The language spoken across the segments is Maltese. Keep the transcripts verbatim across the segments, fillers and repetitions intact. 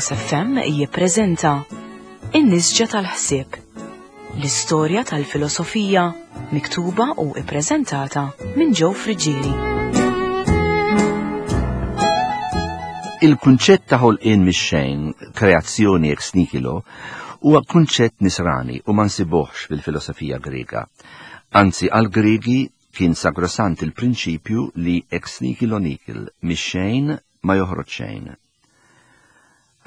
Veritas F M jippreżenta In-Nisġa tal-Ħsieb. L-istorja tal-filosofija miktuba u ippreżentata minn Joe Friggieri. Il-kunċett ta' ħolqien mix-xejn, kreazzjoni ex nihilo, huwa kunċett nisrani u ma nsibuhx fil-filosofija Griega. Anzi, għal-Griegi kien sagrosant il-prinċipju li ex nihilo nihil, mix-xejn ma joħroġ xejn.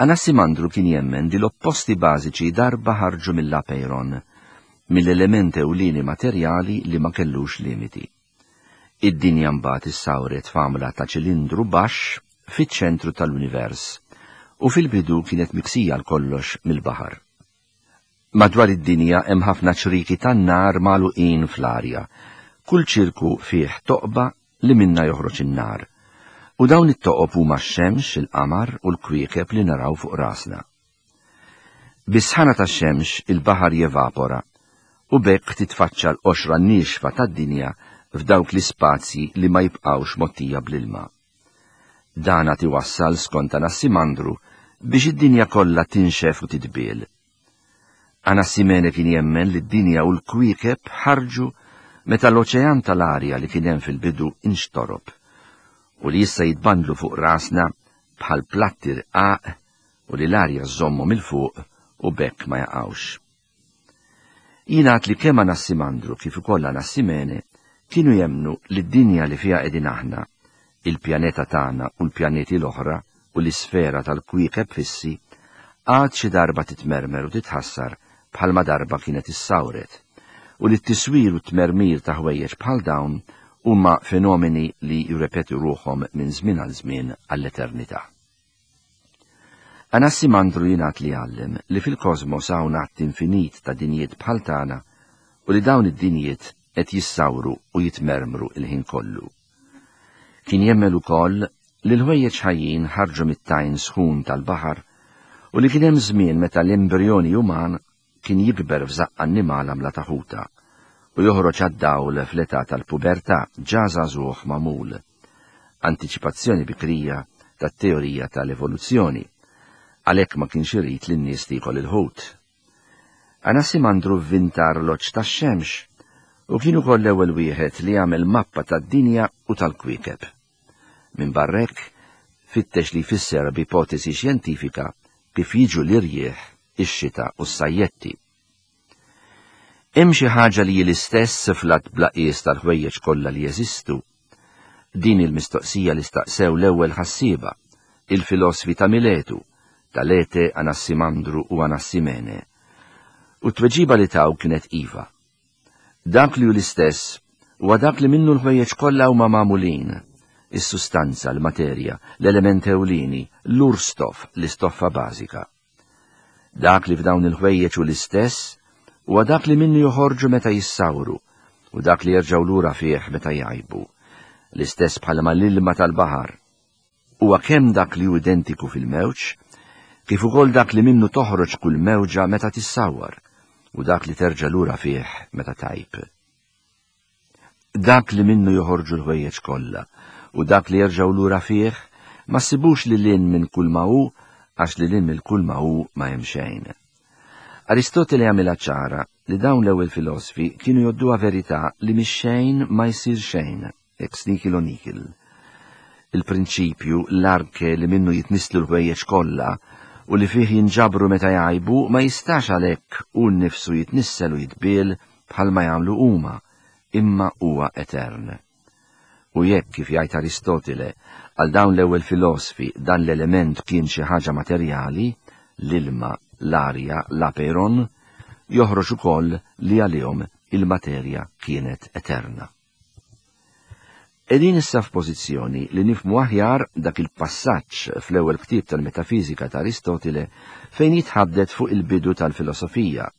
Anassimandru kien jemmen li l-opposti bażiċi darba ħarġu mill-apeiron, mill-element ewlieni materjali li ma kellux limiti. Id-dinja mbagħad issawret f'għamla ta' ċilindru baxx fiċ-ċentru tal-univers u fil-bidu kienet miksija l kollox mill-baħar. Madwar id-dinja hemm ħafna ċriki tan-nar magħluqin fl-arja. Kull ċirku fih toqba li minna joħroġ in-nar. U dawn it-toqob huma x-xemx, il-qamar u l-kwiekeb li naraw fuq rasna. Bis-sħana tax-xemx il-baħar jevapora u b'hekk titfaċċa l-qoxra niexfa tad-dinja f'dawk l-ispazji li ma jibqgħux mottija bl-ilma. Dan għad iwassal, skont Anassimandru, biex id-dinja kollha tinxef u titbiel. Anassimene kien jemmen li d-dinja u l-kwiekeb ħarġu meta l-oċean tal-arja li kien hemm fil-bidu inxtorob u li issa jitbandlu fuq rasna bħal platti rqaq u li l-arja żżommhom 'il fuq u b'hekk ma jaqgħux. Jingħad li kemm Anassimandru kif ukoll Anassimene kienu jemmnu li d-dinja li fiha qegħdin aħna, il-pjaneta tagħna u l-pjaneti l-oħra u l-isfera tal-kwiekeb fissi, għad xi darba titmermer u titħassar bħalma darba kienet issawret, u li t-tiswir u t-tmermir ta' ħwejjeġ bħal dawn huma fenomeni li jirrepetu ruħhom minn żmien għal żmien għall-eternità. Anassimandru jingħad li għallem li fil-kosmos hawn għadd infinit ta' dinjiet bħal tagħna u li dawn id-dinjiet qed jissawru u jitmermru il-ħin kollu. Kien jemmen ukoll li l-ħwejjeġ ħajjin ħarġu mit-tajn sħun tal-baħar u li kien hemm żmien meta l-embrjoni uman kien jikber f'żaqq annimal għamla ta' ħuta u joħroġ għad-dawl fl-età tal-pubertà ġa żagħżugħ magħmul. Antiċipazzjoni bikrija tat-teorija tal-evoluzzjoni. Għalhekk ma kienx irid li n-nies tiekol il-ħut. Anassimandru vvinta arloġġ tax-xemx u kien ukoll l-ewwel wieħed li għamel mappa tad-dinja u tal-kwiekeb. Minn barra hekk, fittex li jfisser b'ipotesi xjentifika kif jiġu l-irjieħ, ix-xita u s-sajjetti. Hemm xi ħaġa li hi l-istess fl-għadd bla qies tal-ħwejjeġ kollha li jeżistu? Din il-mistoqsija li staqsew l-ewwel ħassieba, il-filosfi ta' Miletu, Talete, Anassimandru u Anassimene. U t-tweġiba li taw kienet iva. Dak li hu l-istess huwa dak li minnu l-ħwejjeġ kollha huma magħmulin, is-sustanza, l-materja, l-element ewlieni, l-urstoff, l-istoffa bażika. Dak li f'dawn il-ħwejjeġ hu l-istess huwa dak li minnu joħorġu meta jissawru u dak li jerġgħu lura fih meta jgħibu. L-istess bħalma l-ilma tal-baħar huwa kemm dak li hu identiku fil-mewġ, kif ukoll dak li minnu toħroġ kull mewġa meta tissawwar u dak li terġa' lura fih meta tgħib. Dak li minnu joħorġu l-ħwejjeġ kollha u dak li jerġgħu lura fih ma ssibux lil hinn minn kull ma hu, għax lil hinn minn kull ma hu ma hemm xejn. Aristotele għamilha ċara li dawn l-ewwel filosfi kienu jgħodduha verità li mix-xejn ma jsir xejn, ex nihilo nihil. Il-prinċipju, l-arke li minnu jitnisslu l-ħwejjeġ kollha u li fih jinġabru meta jgħibu ma jistax għalhekk hu nnifsu jitnissel u jitbiel bħalma jagħmlu huma, imma huwa etern. U jekk, kif jgħid Aristotele, għal dawn l-ewwel filosfi dan l-element kien xi ħaġa materjali, l-ilma, l-arja, l-apeiron, joħroġ ukoll li għalihom il-materja kienet eterna. Qegħdin issa f'pożizzjoni li nifhmu aħjar dak il-passaġġ fl-ewwel ktieb tal-Metafizika ta' Aristotele fejn jitħaddet fuq il-bidu tal-filosofija.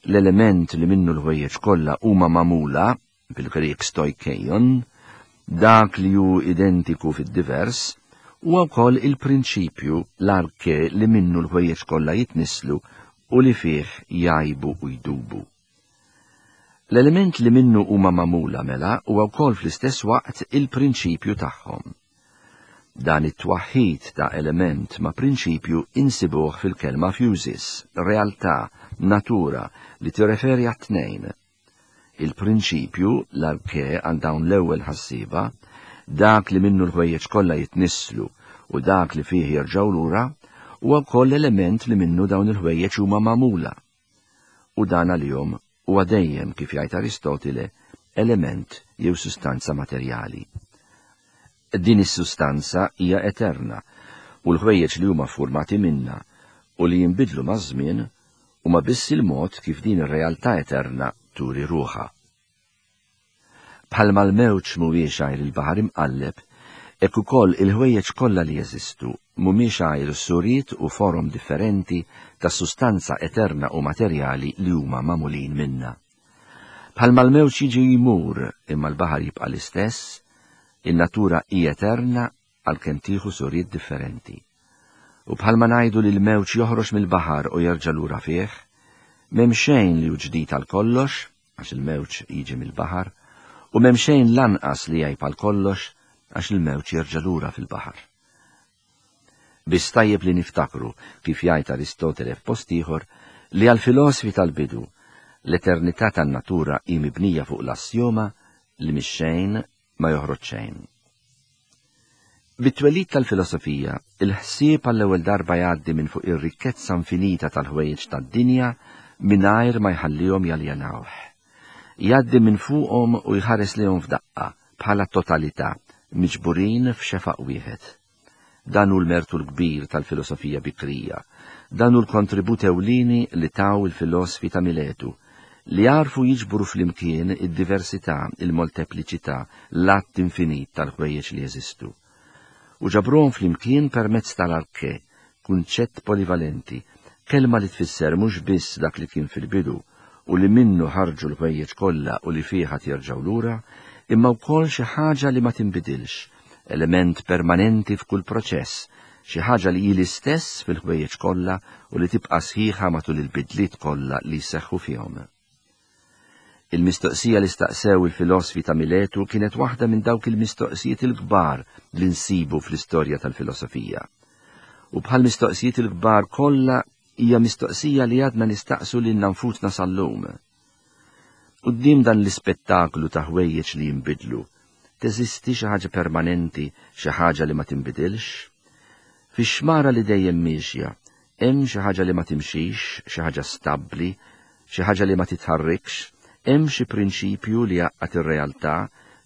L-element li minnu l-ħwejjeġ kollha huma magħmula, bil-Grieg stoikeion, dak li hu identiku fid-divers, huwa wkoll il-prinċipju, l-arke li minnu l-ħwejjeġ kollha jitnisslu u li fih jgħibu u jdubu. L-element li minnu huma magħmula mela huwa wkoll fl-istess waqt il-prinċipju tagħhom. Dan it-twaħħid ta' element ma' prinċipju insibuh fil-kelma physis, realtà, natura, li tirreferi għat-tnejn. Il-prinċipju, l-arke għal dawn l-ewwel ħassieba, dak li minnu l-ħwejjeġ kollha jitnisslu u dak li fih jerġgħu lura, huwa wkoll element li minnu dawn il-ħwejjeġ huma magħmula. U dan għalihom huwa dejjem, kif jgħid Aristotile, element jew sustanza materjali. Din is-sustanza hija eterna u l-ħwejjeġ li huma formati minna u li jinbidlu maż-żmien huma biss il-mod kif din ir-realtà eterna turi ruħha. Bħalma l-mewġ mhuwiex għajr il-baħar imqalleb, hekk ukoll il-ħwejjeġ kollha li jeżistu mhumiex għajr suriet u forom differenti ta' sustanza eterna u materjali li huma magħmulin minna. Bħalma l-mewġ jiġi jmur imma l-baħar jibqa' l-istess, in-natura hi eterna għalkemm tieħu suriet differenti. U bħalma ngħidu li l-mewġ joħroġ mill-baħar u jerġa' lura fih, m'hemm xejn li hu ġdid għal kollox, għax il-mewġ jiġi mill-baħar, u m'hemm xejn lanqas li jgħib għal kollox, għax il-mewġ jerġa' lura fil-baħar. Biss tajjeb li niftakru, kif jgħid Aristotele f'post ieħor, li għall-filosfi tal-bidu l-eternità tan-natura hi mibnija fuq l-assjoma li mix-xejn ma joħroġ xejn. Bit-twelid tal-filosofija, il-ħsieb għall-ewwel darba jgħaddi minn fuq ir-rikkezza infinita tal-ħwejjeġ tad-dinja mingħajr ma jħallihom jaljenawh. Jgħaddi minn fuqhom u jħares lejhom f'daqqa bħala totalità, miġburin f'xefaq wieħed. Dan hu l-mertu l-kbir tal-filosofija bikrija, dan hu l-kontribut ewlieni li taw il-filosfi ta' Miletu, li għarfu jiġbru flimkien id-diversità, il-moltepliċità, l-att infinit tal-ħwejjeġ li jeżistu. U ġabruhom flimkien permezz tal-arke, kunċett polivalenti, kelma li tfisser mhux biss dak li kien fil-bidu u li minnu ħarġu l-ħwejjeġ kollha u li fih ħadd jerġgħu lura, imma wkoll xi ħaġa li ma tinbidilx, element permanenti f'kull proċess, xi ħaġa li hi l-istess fil-ħwejjeġ kollha u li tibqa' sħiħa matul il-bidliet kollha li jseħħu fihom. Il-mistoqsija li staqsew il-filosfi ta' Miletu kienet waħda minn dawk il-mistoqsijiet il-kbar li nsibu fl-istorja tal-filosofija. U bħal mistoqsijiet il-kbar kollha hija mistoqsija li għadna nistaqsu lilna nfusna sal-lum. Quddiem dan l-ispettaklu ta' ħwejjeġ li jinbidlu, teżisti xi ħaġa permanenti, xi ħaġa li ma tinbidilx? Fix-xmara li dejjem miexja, hemm xi ħaġa li ma timxix, xi ħaġa stabbli, xi ħaġa li ma titħarrikx, hemm xi prinċipju li jgħaqqad ir-realtà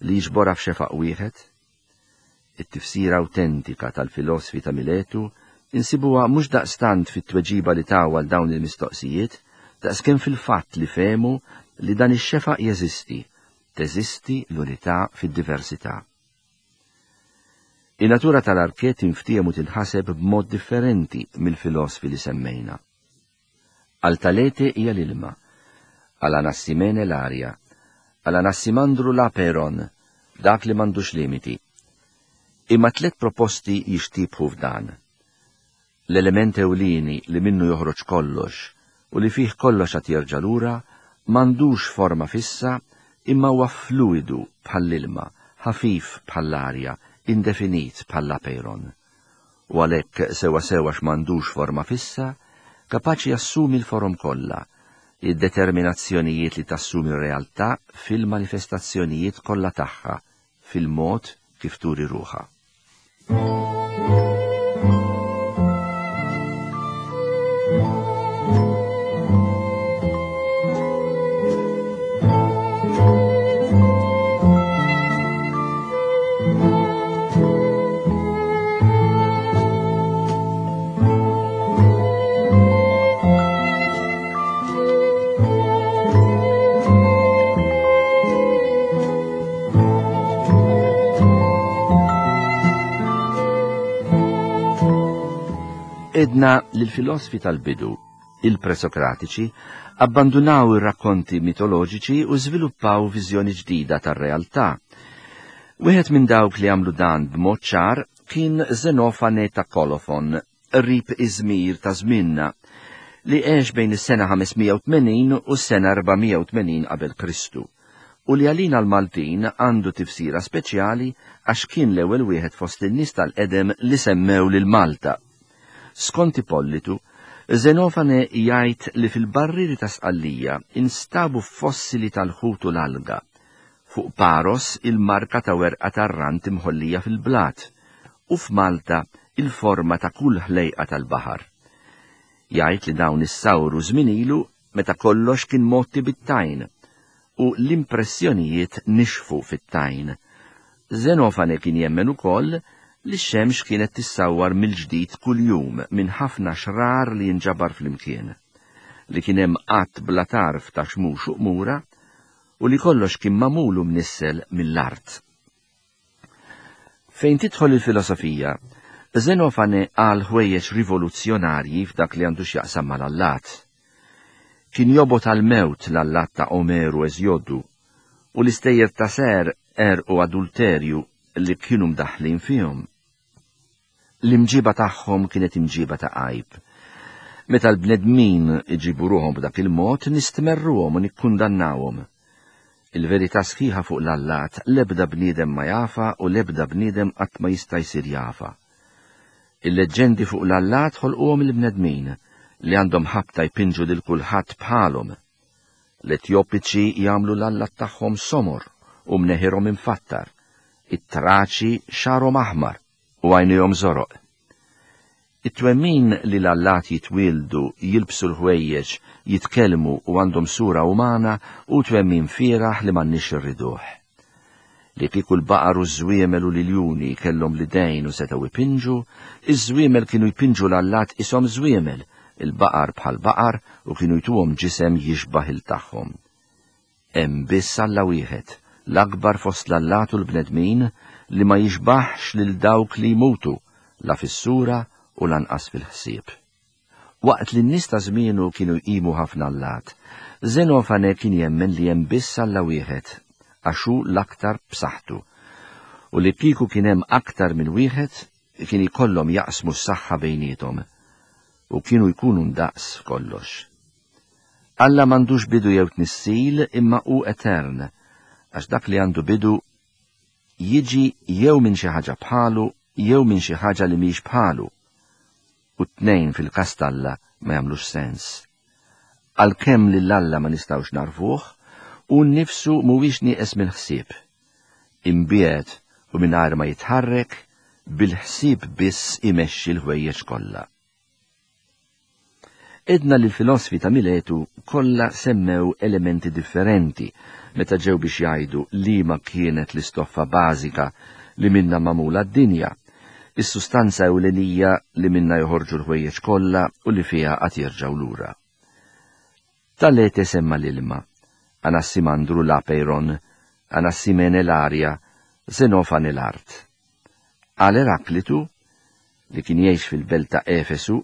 li jiġborha f'xefaq wieħed? It-tifsira awtentika tal-filosfi ta' Miletu insibuha mhux daqstant fit-tweġiba li taw għal dawn il-mistoqsijiet, daqskemm fil-fatt li fehmu li dan ix-xefaq jeżisti, teżisti l-unità fid-diversità. In-natura tal-arke tinftiehem u tinħaseb b'mod differenti mill-filosfi li semmejna. Għal Talete hija l-ilma, għal Anassimene l-arja, għal Anassimandru l-aperon, dak li m'għandux limiti. Imma tliet proposti jixtibħu f'dan. L-element ewlieni li minnu joħroġ kollox u li fih kollox għad jerġa' lura m'għandux forma fissa imma huwa fluidu bħall-ilma, ħafif bħall-arja, indefinit bħall-aperon. U għalhekk sewa sewa x'm'għandux forma fissa, kapaċi jassumi l-forom kollha, id-determinazzjonijiet li tassumi r-realtà fil-manifestazzjonijiet kollha tagħha, fil-mod kif turi ruħha. Edna li l-filosfi tal-bidu, il-presokratiċi, abbandunaw ir-rakkonti mitoloġiċi u żviluppaw viżjoni ġdida tar-realtà. Wieħed minn dawk li għamlu dan b'mod ċar kien Zenofane ta' Kolofon, qrib Iżmir ta' żmienna, li għex bejn is-sena ħames mija u tmenin u s-sena erba' mija u tmenin qabel Kristu, u li għalina l-Maltin għandu tifsira speċjali għax kien l-ewwel wieħed fost in-nies tal-qedem li semmew lil Malta. Skont Ippolitu, Zenofane jgħid li fil-barriri ta' Sqallija instabu fossili tal-ħut u l-alga, fuq Paros il-marka ta' werqa tar-rant imħollija fil-blat, u f'Malta il-forma ta' kull ħlejqa tal-baħar. Jgħid li dawn issawru żmien ilu meta kollox kien mgħotti bit-tajn, u l-impressjonijiet nixfu fit-tajn. Zenofane kien jemmen ukoll li x-xemx kienet tissawwar mill-ġdid kuljum minn ħafna xrar li jinġabar flimkien, li kien hemm qatt bla tarf ta' xmux u qmura, u li kollox kien magħmul u mnissel mill-art. Fejn tidħol il-filosofija, Zenofane qal ħwejjeġ rivoluzzjonarji f'dak li għandu x'jaqsam mal-allat. Kien jobgħod għall-mewt l-allat ta' Omeru Eżjodu, u l-istejjer ta' ser, għerq u adulterju li kienu mdaħħlin fihom. L-imġiba tagħhom kienet imġiba ta' għajb. Meta l-bnedmin iġibu ruħhom b'dak il-mod, nistmerruhom u nikkundannawhom. Il-verità sħiħa fuq l-allat l-ebda bniedem ma jafa u l-ebda bniedem qatt ma jista' jsir jafa. Il-leġġendi fuq l-allat ħolquhom il-bnedmin li għandhom ħabta jpinġu lil kulħadd bħalhom. L-Etjopiċi jagħmlu l-allat tagħhom somor u mneħirhom imfattar, it-Traċi xagħarhom aħmar u għajnejhom żoroq. It-twemmin li l-allat jitwieldu, jilbsu l-ħwejjeġ, jitkellmu u għandhom sura umana hu twemmin fieragħ li m'għandniex irriduh. Li kieku l-baqar u ż-żwiemel u l-iljuni kellhom l-idejn u setgħu jpinġu, iż-żwiemel kienu jpinġu l-allat ishom żwiemel, il-baqar bħal baqar u kienu jtuhom ġisem jixbah il tagħhom. Hemm biss Alla wieħed, l-akbar fost l-allat u l-bnedmin, li ma jixbaħx lil dawk li jmutu, la fis-sura u lanqas fil-ħsieb. Waqt li n-nies ta' żmienu kienu jqimu ħafna allat, Zenofane kien jemmen li hemm biss Alla wieħed, għax hu l-aktar b'saħħtu, u li kieku kien hemm aktar minn wieħed kien ikollhom jaqsmu s-saħħa bejniethom, u kienu jkunu ndaqs f'kollox. Alla m'għandux bidu jew tnissil imma hu etern, għax dak li għandu bidu jiġi jew minn xi ħaġa bħalu jew minn xi ħaġa li mhix bħalu, u t-tnejn fil-każ t'Alla ma jagħmlux sens. Għalkemm lil Alla ma nistgħux narfuh, hu nnifsu mhuwiex nieqes mill-ħsieb. Imbiegħed u mingħajr ma jitħarrek, bil-ħsieb biss imexxi l-ħwejjeġ kollha. Edna li l-filosfi ta' Miletu kollha semmew elementi differenti meta ġew biex jgħidu liema kienet l-istoffa bażika li minna magħmula d-dinja, is-sustanza ewlenija li minna joħorġu l-ħwejjeġ kollha u li fiha qatt jerġgħu lura. Talete semma l-ilma, Anassimandru l-apeiron, Anassimene l-arja, Zenofane l-art. Għal Eraklitu, li kien jgħix fil-belt ta' Efesu,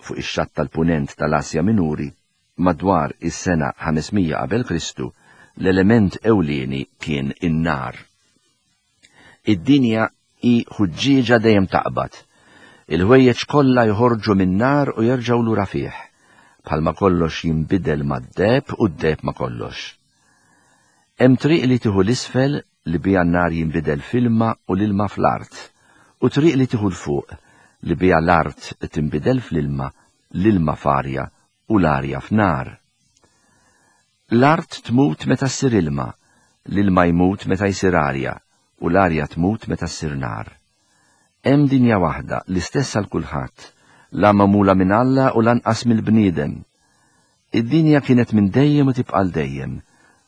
fuq ix-xatt tal-punent tal-Asja Minuri, madwar is-sena ħames mija qabel Kristu, l-element ewlieni kien in-nar. Id-dinja hi ħuġġieġa dejjem taqbad. Il-ħwejjeġ kollha joħorġu min-nar u jerġgħu lura fih, bħalma kollox jinbidel mad-deheb u d-deheb ma' kollox. Hemm triq li tieħu l-isfel li biha n-nar jinbidel f'ilma u l-ilma fl-art, u triq li tieħu l-fuq li biha l-art tinbidel fl-ilma, l-ilma f'arja u l-arja f'nar. L-art tmut meta ssir ilma, l-ilma jmut meta jsir arja, u l-arja tmut meta ssir nar. Hemm dinja waħda, l-istess għal kulħadd, la magħmula minn Alla u lanqas mill-bniedem. Id-dinja kienet minn dejjem u tibqa' għal dejjem,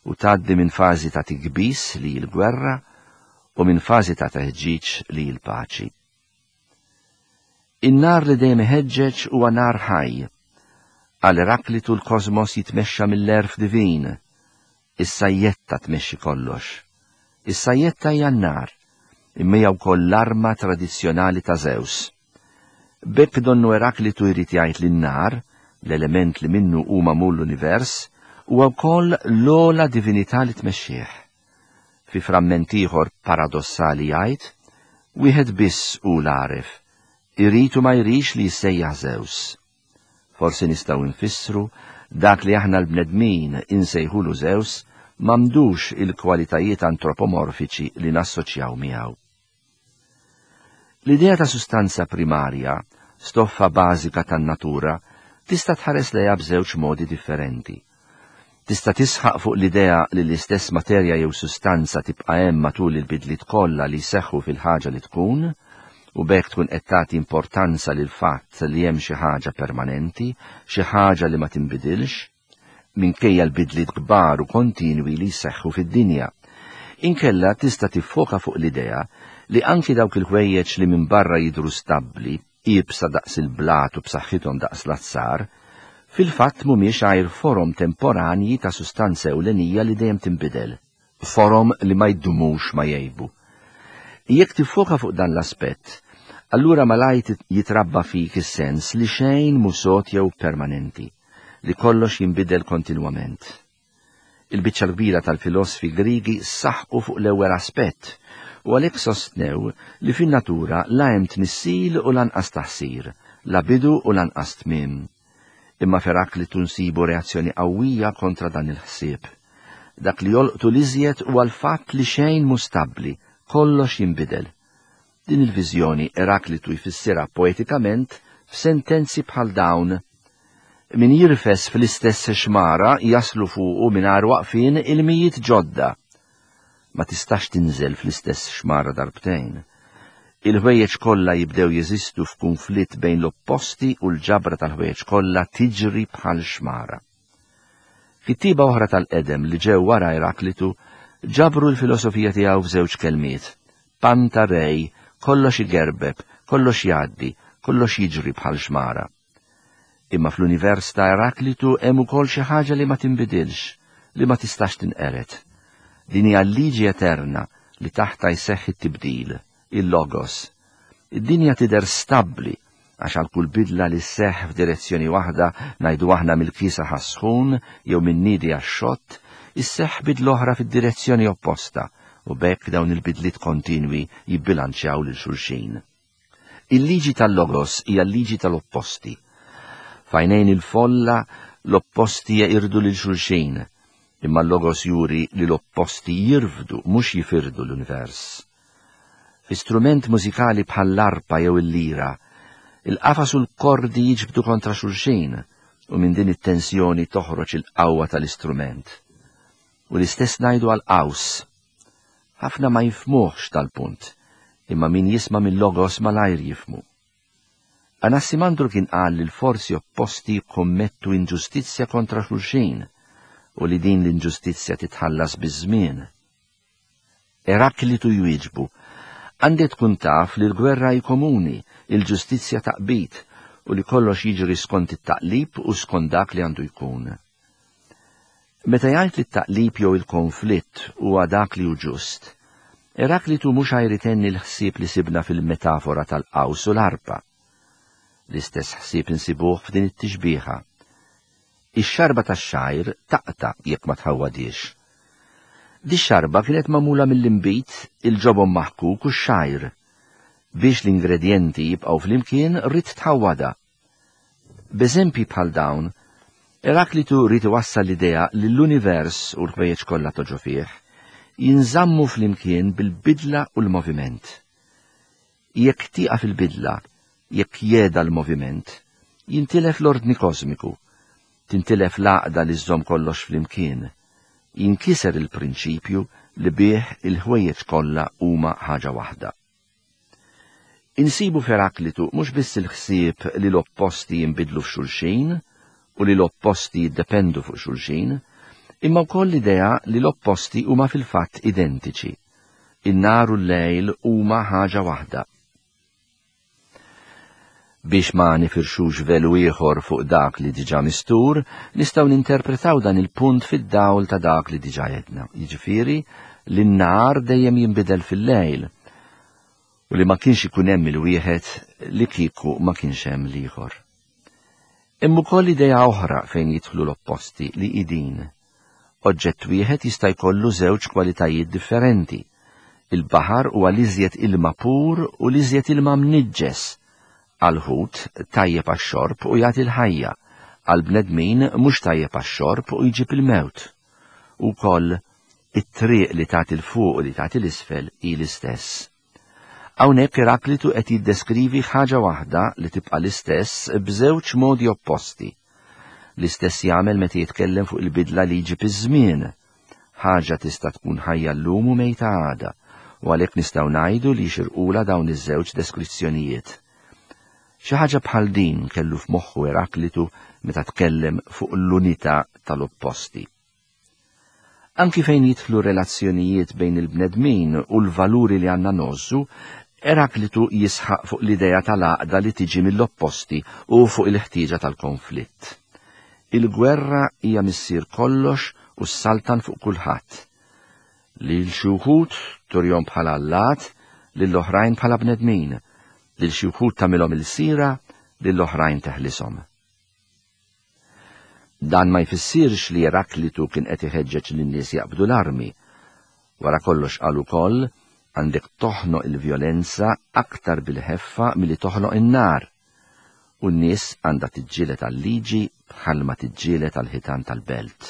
u tgħaddi minn fażi ta' tikbis li hi l-gwerra u minn fażi ta' teħġiġ li hi l-paċi. In-nar li dejjem iħeġġeġ huwa nar ħaj. Għal Eraklitu l-kosmos jitmexxa mill-għerf divin. Is-sajjetta tmexxi kollox. Is-sajjetta hija n-nar, imma hija wkoll l-arma tradizzjonali ta' Zeus. B'hekk donnu Eraklitu jrid jgħid li n-nar, l-element li minnu hu magħmul l-univers, huwa wkoll l-ogħla divinità li tmexxih. Fi framment ieħor paradossali jgħid, wieħed biss hu l-għaref, irid u ma jridx li jissejjaħ Zeus. Forsi nistgħu nfissru dak li aħna l-bnedmin insejħulu Zeus m'għandux il-kwalitajiet antropomorfiċi li nassoċjaw miegħu. L-idea ta' sustanza primarja, stoffa bażika tan-natura, tista' tħares lejha b'żewġ modi differenti. Tista' tisħaq fuq l-idea li l-istess materja jew sustanza tibqa' hemm matul il-bidliet kollha li jseħħu fil-ħaġa li tkun, u b'hekk tkun qed tagħti importanza lil fatt li hemm xi ħaġa permanenti, xi ħaġa li ma tinbidilx, minkejja l-bidliet kbar u kontinwi li jseħħu fid-dinja. Inkella tista' tiffoka fuq l-idea li anki dawk il-ħwejjeġ li minn barra jidhru stabbli, iebsa daqs il-blat u b'saħħithom daqs l-azzar, fil-fatt mhumiex għajr forom temporanji ta' sustanza ewlenija li dejjem tinbidel, forom li ma jdumux ma jgħibu. Jekk tiffoka fuq dan l-aspett, allura malajr jitrabba fik is-sens li xejn mhu sod jew permanenti, li kollox jinbidel kontinwament. Il-biċċa l-kbira tal-filosfi Griegi saħqu fuq l-ewwel aspett u għalhekk sostnew li fin-natura la hemm tnissil u lanqas taħsir, la bidu u lanqas tmiem. Imma f'Eraklitu nsibu reazzjoni qawwija kontra dan il-ħsieb. Dak li jolqtu l-iżjed huwa l-fatt li xejn mhu stabbli, kollox jinbidel. Din il-viżjoni Eraklitu jfissirha poetikament f'sentenzi bħal dawn: min jirfes fl-istess xmara jaslu fuqu mingħajr waqfien ilmijiet ġodda. Ma tistax tinżel fl-istess xmara darbtejn. Il-ħwejjeġ kollha jibdew jeżistu f'kunflitt bejn l-opposti u l-ġabra tal-ħwejjeġ kollha tiġri bħal xmara. Kittieba oħra tal-qedem li ġew wara Eraklitu ġabru l-filosofija tiegħu f'żewġ kelmiet: panta rej, kollox igerbeb, kollox jgħaddi, kollox jiġri bħal xmara. Imma fl-univers ta' Eraklitu hemm ukoll xi ħaġa li ma tinbidilx, li ma tistax tinqered. Din hija l-liġi eterna li taħta jseħħ it-tibdil, il-logos. Id-dinja tidher stabbli għax għal kull bidla li sseħħ f'direzzjoni waħda, ngħidu aħna mill-kiesaħ għas-sħun jew min-niedi għax-xott, isseħħ bidla oħra fid-direzzjoni opposta, u b'hekk dawn il-bidliet kontinwi jibbilanċjaw lil xulxin. Il-liġi tal-logos hija l-liġi tal-opposti. F'għajnejn il-folla l-opposti jeqirdu lil xulxin, imma l-logos juri li l-opposti jirfdu, mhux jifirdu l-univers. Fi strument mużikali bħall-arpa jew il-lira, il-qafas u l-kordi jiġbdu kontra xulxin, u minn din it-tensjoni toħroġ il-qawwa tal-istrument. U l-istess ngħidu għal-qaws. Ħafna ma jifhmuhx tal-punt, imma min jisma' mill-logos malajr jifhmu. Anassimandru kien qal li l-forzi opposti jikkommettu inġustizzja kontra xulxin u li din l-inġustizzja titħallas biż-żmien. Eraklitu jwieġbu: għandek tkun taf li l-gwerra hi komuni, il-ġustizzja taqbid, u li kollox jiġri skont it-taqlib u skont dak li għandu jkun. Meta jgħid li t-taqlib jew il-konflitt huwa dak li hu ġust, Eraklitu mhux għajr itenni l-ħsieb li sibna fil-metafora tal-qaws u l-arpa. L-istess ħsieb insibuh f'din it-tixbieħa. Ix-xarba tax-xgħir taqta' jekk ma tħawwadiex. Di xarba kienet magħmula mill-inbid, il-ġobon maħkuk u x-xgħir. Biex l-ingredjenti jibqgħu flimkien ridt tħawwadha. B'eżempji bħal dawn, Eraklitu ried iwassal l-idea li l-univers u l-ħwejjeġ kollha ta' ġo fih jinżammu flimkien bil-bidla u l-moviment. Jekk tieqaf il-bidla, jekk jeda l-moviment, jintilef l-ordni kosmiku, tintilef l-għaqda li żżomm kollox flimkien, jinkiser il-prinċipju li bih il-ħwejjeġ kollha huma ħaġa waħda. Insibu f'Eraklitu mhux biss il-ħsieb li l-opposti jinbidlu f'xulxin u li l-opposti jiddependu fuq xulxin, imma wkoll l-idea li l-opposti huma fil-fatt identiċi. In-nar u l-lejl huma ħaġa waħda. Biex ma nifirxux velu ieħor fuq dak li diġà mistur, nistgħu ninterpretaw dan il-punt fid-dawl ta' dak li diġà għedna. Jiġifieri li n-nar dejjem jinbidel fil-lejl u li ma kienx ikun hemm il-wieħed li kieku ma kienx hemm l-ieħor. Hemm ukoll idea oħra fejn jidħlu l-opposti li hi din. Oġġett wieħed jista' jkollu żewġ kwalitajiet differenti. Il-baħar huwa l-iżjed ilma pur u l-iżjed ilma mniġġes. Għal-ħut tajjeb għax-xorb u jagħti l-ħajja, għall-bnedmin mhux tajjeb għax-xorb u jġib il-mewt. Ukoll It-triq li tagħti 'l fuq u li tagħti 'l isfel hi l-istess. Hawnhekk Eraklitu qed jiddeskrivi ħaġa waħda li tibqa' l-istess b'żewġ modi opposti. L-istess jagħmel meta jitkellem fuq il-bidla li jġib iż-żmien. Ħaġa tista' tkun ħajja llum u mejta għada, u għalhekk nistgħu ngħidu li jixirqulha dawn iż-żewġ deskrizzjonijiet. Xi ħaġa bħal din kellu f'moħħu Eraklitu meta tkellem fuq l-unità tal-opposti. Anki fejn jidħlu relazzjonijiet bejn il-bnedmin u l-valuri li għandna ngħożżu, Eraklitu jisħaq fuq l-idea tal-għaqda li tiġi mill-opposti u fuq il-ħtieġa tal-konflitt. Il-gwerra hija missier kollox u s-saltan fuq kulħadd. Lil xi wħud turihom bħala allat, lill-oħrajn bħala bnedmin, lil xi wħud tagħmilhom ilsira, lill-oħrajn teħlishom. Dan ma jfissirx li Eraklitu kien qed iħeġġeġ lin-nies jaqbdu l-armi. Wara kollox qal ukoll għandek toħnoq il-vjolenza aktar bil-ħeffa milli toħnoq in-nar. U n-nies għandha tiġġieled għal-liġi bħalma tiġġieled għall-ħitan tal-belt.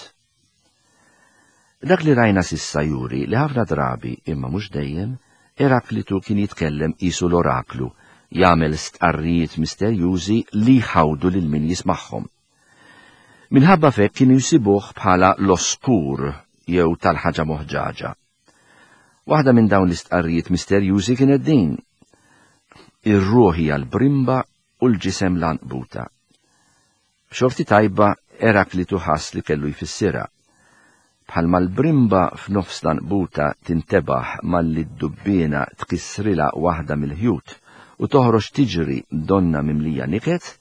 Dak li rajna s'issa juri li ħafna drabi, imma mhux dejjem, Eraklitu kien jitkellem qisu l-oraklu, jagħmel stqarrijiet misterjużi li jħawdu lil min jismagħhom. Minħabba f'hekk kienu jsibuh bħala l-oskur jew tal-ħaġa moħġaġa. Waħda minn dawn l-istqarrijiet misterjużi kienet din: ir-ruħ hija l-brimba u l-ġisem l-għanqbuta. B'xorti tajba Eraklitu ħass li kellu jfissirha. Bħalma l-brimba f'nofs l-għanqbuta tintebaħ malli d-dubbiena tkissrilha waħda mill-ħjut u toħroġ tiġri donna mimlija niket,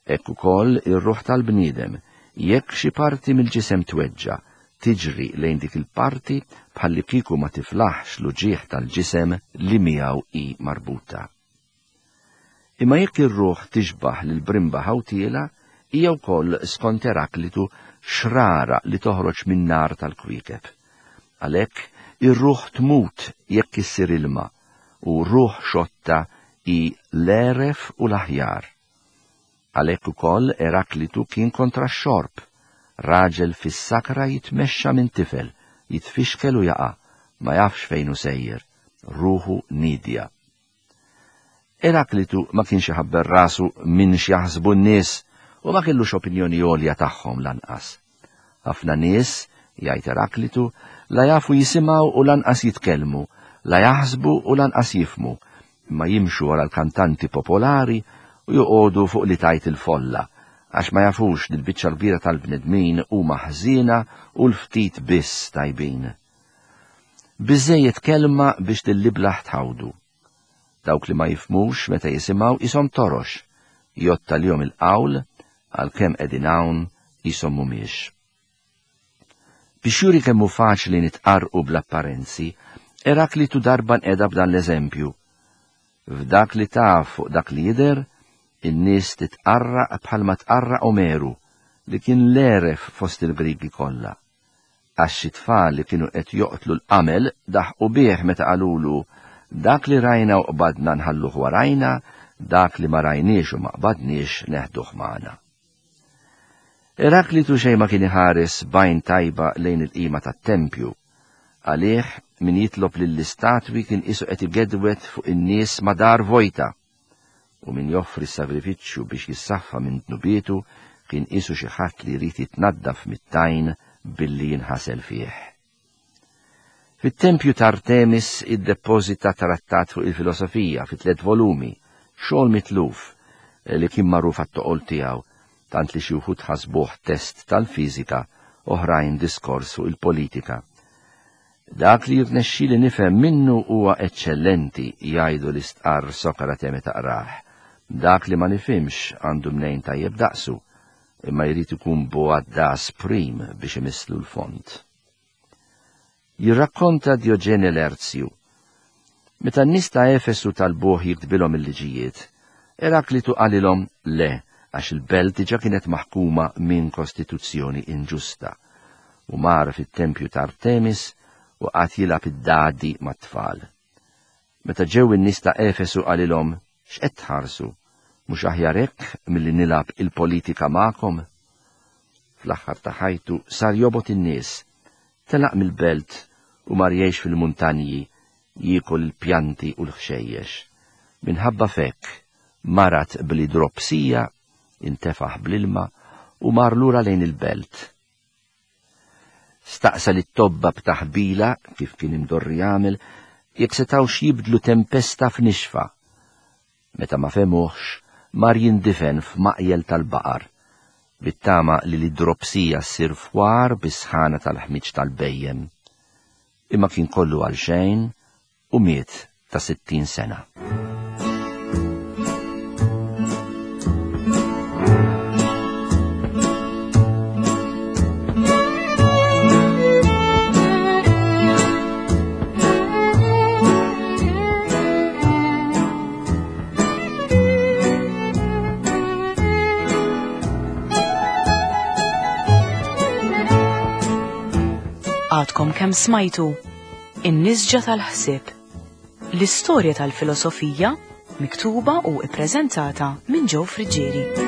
hekk ukoll ir-ruħ tal-bniedem, jekk xi parti mill-ġisem tweġġa', tiġri lejn dik il-parti bħalli kieku ma tiflaħx l-uġigħ tal-ġisem li miegħu hi marbuta. Imma jekk ir-ruħ tixbaħ lil brimba ħawtiela, hija wkoll skont Eraklitu xrara li toħroġ min-nar tal-kwiekeb. Għalhekk ir-ruħ tmut jekk issir ilma, u ruħ xotta hi l-għeref u l-aħjar. Għalhekk ukoll Eraklitu kien kontra x-xorb. Raġel fis-sakra jitmexxa minn tifel, jitfixkel u jaqa', ma jafx fejn hu sejjer, ruħu nidja. Eraklitu ma kienx iħabber rasu minn x'jaħsbu n-nies u ma kellux opinjoni għolja tagħhom lanqas. Ħafna nies, jgħid Eraklitu, la jafu jisimgħu u lanqas jitkellmu, la jaħsbu u lanqas jifhmu, imma jimxu wara l-kantanti popolari u joqogħdu fuq li tajt il-folla, għax ma jafux li l-biċċa l-kbira tal-bnedmin huma ħżiena u l-ftit biss tajbin. Biżżejjed kelma biex lil-iblah tħawdu. Dawk li ma jifhmux meta jisimgħu qishom torox, jgħodd għalihom il-qawl għalkemm qegħdin hawn qishom mhumiex. Biex juri kemm hu faċli nitqarrqu bl-apparenzi, Eraklitu darba nqeda b'dan l-eżempju. F'dak li taf fuq dak li jidher, in-nies titqarraq bħalma tqarraq Omeru, li kien l-għeref fost il-Grigi kollha. Għax xi tfal li kienu qed joqtlu l-qamel daħqu bih meta qalulu dak li rajna u qbadna nħalluh warajna, dak li ma rajniex u ma qbadniex neħduh magħna. Eraklitu xejn ma kien iħares b'għajn tajba lejn il-qima tat-tempju. Għalih min jitlob lill-istatwi kien qisu qed igedwed fuq in-nies ma' dar vojta, u min joffri s-sagrifiċċju biex jissaffa minn dnubietu kien qisu xi ħadd li jrid jitnaddaf mit-tajn billi jinħasel fih. Fit-tempju ta' Artemis iddepożita trattat fuq il-filosofija fi tliet volumi, xogħol mitluf li kien magħruf għat-toqol tiegħu, tant li xi wħud ħasbuh test tal-fiżika, oħrajn diskors fuq il-politika. Dak li jirnexxili nifhem minnu huwa eċċellenti, jgħidu li stqarr Sokrate meta qrah. Dak li ma nifhimx għandu mnejn tajjeb daqsu, imma jrid ikun bugħaddas prim biex imisslu l-fond. Jirrakkonta Dioġene Lerzju. Meta n-nies ta' Efesu talbuh jiktbilhom il-liġijiet, Eraklitu qalilhom le, għax il-belt diġà kienet maħkuma minn kostituzzjoni inġusta, u mar fit-tempju ta' Artemis u qagħad jilgħab id-dadi mat-tfal. Meta ġew in-nies ta' Efesu qalilhom, x'qed tħarsu? Mhux aħjar hekk milli nilgħab il-politika magħkom? Fl-aħħar ta' ħajtu sar jobgħod in-nies, telaq mill-belt u mar jgħix fil-muntanji jiekol il-pjanti u l-ħxejjex. Minħabba f'hekk marad bl-idropsija, intefaħ bl-ilma u mar lura lejn il-belt. Staqsa lit-tobba b'taħbila, kif kien imdorri jagħmel, jekk setgħux jibdlu tempesta f'nixfa. Meta ma fehmuhx, mar jindifen f'maqjel tal-baqar, bit-tama li l-idropsija ssir fwar bis-sħana tal-ħmiġ tal-bhejjem. Imma kien kollu għal xejn u miet ta' sittin sena. Għadkom kemm smajtu In-Nisġa tal-Ħsieb, l-istorja tal-filosofija miktuba u ippreżentata minn Joe Friggieri.